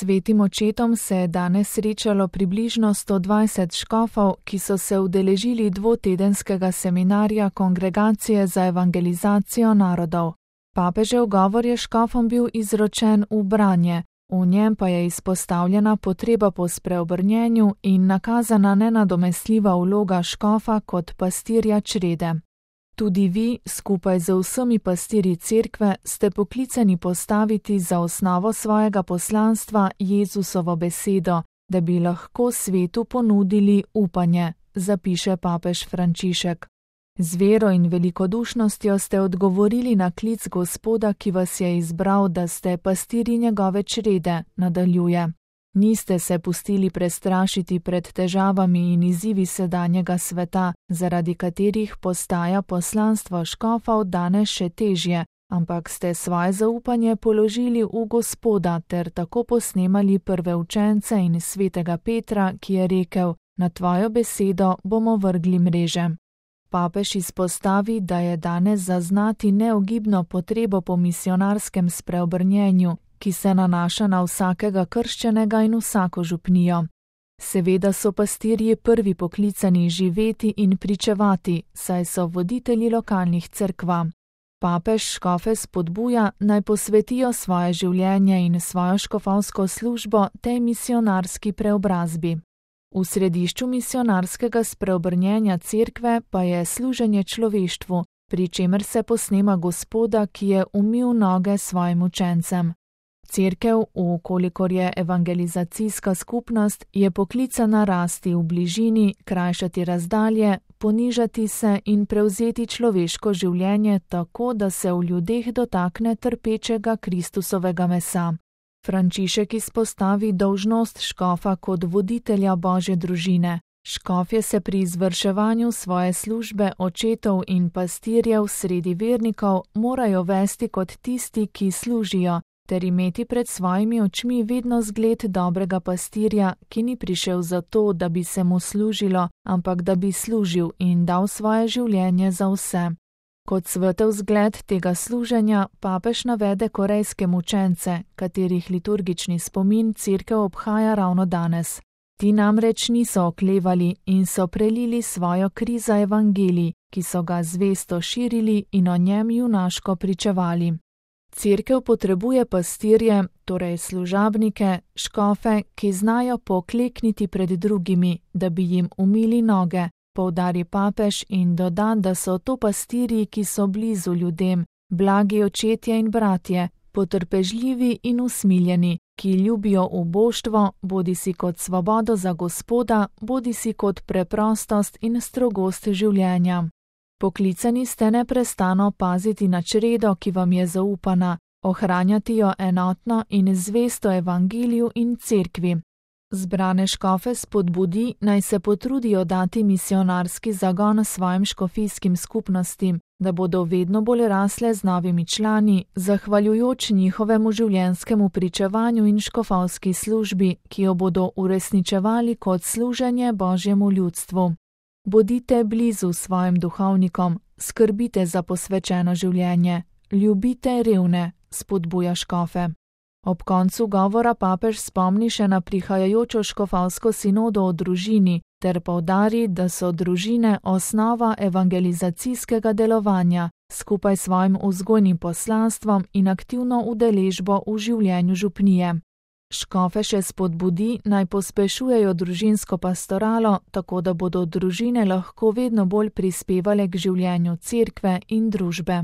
Svetim očetom se je danes srečalo približno 120 škofov, ki so se udeležili dvotedenskega seminarja Kongregacije za evangelizacijo narodov. Papežev govor je škofom bil izročen v branje, v njem pa je izpostavljena potreba po spreobrnjenju in nakazana nenadomestljiva vloga škofa kot pastirja črede. Tudi vi, skupaj z vsemi pastirji cerkve, ste poklicani postaviti za osnovo svojega poslanstva Jezusovo besedo, da bi lahko svetu ponudili upanje, zapiše papež Frančišek. Z vero in velikodušnostjo ste odgovorili na klic Gospoda, ki vas je izbral, da ste pastirji njegove črede, nadaljuje. Niste se pustili prestrašiti pred težavami in izzivi sedanjega sveta, zaradi katerih postaja poslanstvo škofov danes še težje, ampak ste svoje zaupanje položili v Gospoda ter tako posnemali prve učence in svetega Petra, ki je rekel: na tvojo besedo bomo vrgli mreže. Papež izpostavi, da je danes zaznati neogibno potrebo po misionarskem spreobrnjenju, ki se nanaša na vsakega krščenega in vsako župnijo. Seveda so pastirji prvi poklicani živeti in pričevati, saj so voditelji lokalnih cerkva. Papež škofe spodbuja, naj posvetijo svoje življenje in svojo škofovsko službo tej misionarski preobrazbi. V središču misionarskega spreobrnjenja cerkve pa je služenje človeštvu, pri čemer se posnema Gospoda, ki je umil noge svojim učencem. Cerkev, vkolikor je evangelizacijska skupnost, je poklicana rasti v bližini, krajšati razdalje, ponižati se in prevzeti človeško življenje tako, da se v ljudeh dotakne trpečega Kristusovega mesa. Frančišek izpostavi dolžnost škofa kot voditelja Božje družine. Škofje se pri izvrševanju svoje službe očetov in pastirjev sredi vernikov morajo vesti kot tisti, ki služijo, ter imeti pred svojimi očmi vedno zgled dobrega pastirja, ki ni prišel zato, da bi se mu služilo, ampak da bi služil in dal svoje življenje za vse. Kot svetel zgled tega služenja papež navede korejske mučence, katerih liturgični spomin cerkev obhaja ravno danes. Ti namreč niso oklevali in so prelili svojo kri za evangelij, ki so ga zvesto širili in o njem junaško pričevali. Cerkev potrebuje pastirje, torej služabnike, škofe, ki znajo poklekniti pred drugimi, da bi jim umili noge, poudari papež in doda, da so to pastirji, ki so blizu ljudem, blagi očetje in bratje, potrpežljivi in usmiljeni, ki ljubijo uboštvo, bodisi kot svobodo za Gospoda, bodisi kot preprostost in strogost življenja. Poklicani ste neprestano paziti na čredo, ki vam je zaupana, ohranjati jo enotno in zvesto evangeliju in cerkvi. Zbrane škofe spodbudi, naj se potrudijo dati misionarski zagon svojim škofijskim skupnostim, da bodo vedno bolj rasle z novimi člani, zahvaljujoč njihovemu življenjskemu pričevanju in škofovski službi, ki jo bodo uresničevali kot služenje Božjemu ljudstvu. Bodite blizu svojim duhovnikom, skrbite za posvečeno življenje, ljubite revne, spodbuja škofe. Ob koncu govora papež spomni še na prihajajočo škofovsko sinodo o družini ter poudari, da so družine osnova evangelizacijskega delovanja, skupaj s svojim vzgojnim poslanstvom in aktivno udeležbo v življenju župnije. Škofe še spodbudi, naj pospešujejo družinsko pastoralo, tako da bodo družine lahko vedno bolj prispevale k življenju cerkve in družbe.